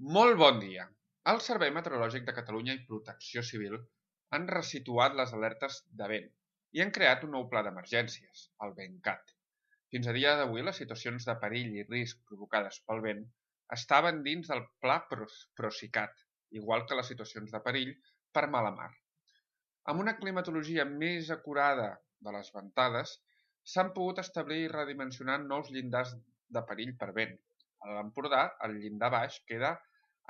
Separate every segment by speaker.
Speaker 1: Molt bon dia! El Servei Meteorològic de Catalunya i Protecció Civil han resituat les alertes de vent i han creat un nou pla d'emergències, el VentCat. Fins a dia d'avui, les situacions de perill i risc provocades pel vent estaven dins del pla Procicat, igual que les situacions de perill per mala mar. Amb una climatologia més acurada de les ventades, s'han pogut establir i redimensionar nous llindars de perill per vent. A l'Empordà, el llindar baix queda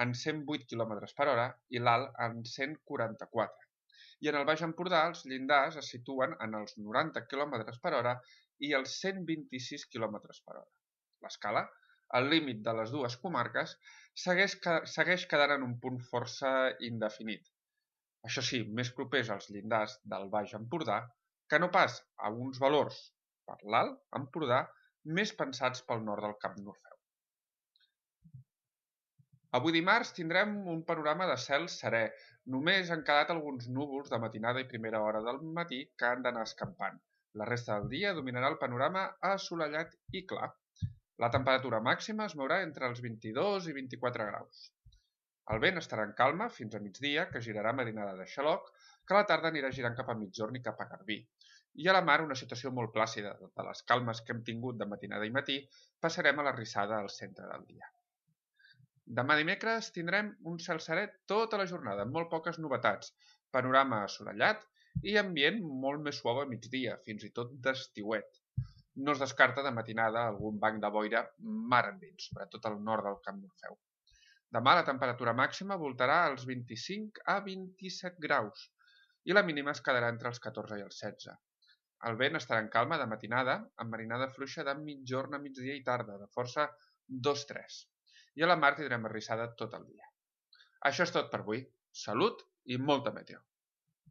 Speaker 1: en 108 km per hora i l'alt en 144. I en el Baix Empordà els llindars es situen en els 90 km per hora i els 126 km per hora. L'escala, al límit de les dues comarques, segueix quedant en un punt força indefinit. Això sí, més propers als llindars del Baix Empordà que no pas a uns valors per l'Alt Empordà més pensats pel nord del Camp d'Orfeu. Avui dimarts tindrem un panorama de cel serè. Només han quedat alguns núvols de matinada i primera hora del matí que han d'anar escampant. La resta del dia dominarà el panorama assolellat i clar. La temperatura màxima es mourà entre els 22 i 24 graus. El vent estarà en calma fins a migdia, que girarà marinada de xaloc, que a la tarda anirà girant cap a migjorn i cap a Garbí. I a la mar una situació molt plàcida. De les calmes que hem tingut de matinada i matí, passarem a la rissada al centre del dia. Demà dimecres tindrem un cel serè tota la jornada, amb molt poques novetats, panorama assolellat i ambient molt més suau a migdia, fins i tot d'estiuet. No es descarta de matinada algun banc de boira mar endins, sobretot al nord del Camp d'Orfeu. Demà la temperatura màxima voltarà als 25 a 27 graus i la mínima es quedarà entre els 14 i els 16. El vent estarà en calma de matinada, amb marinada fluixa de migjorn a migdia i tarda, de força 2-3. I a la mar tindrem arrissada tot el dia. Això és tot per avui. Salut i molta meteo!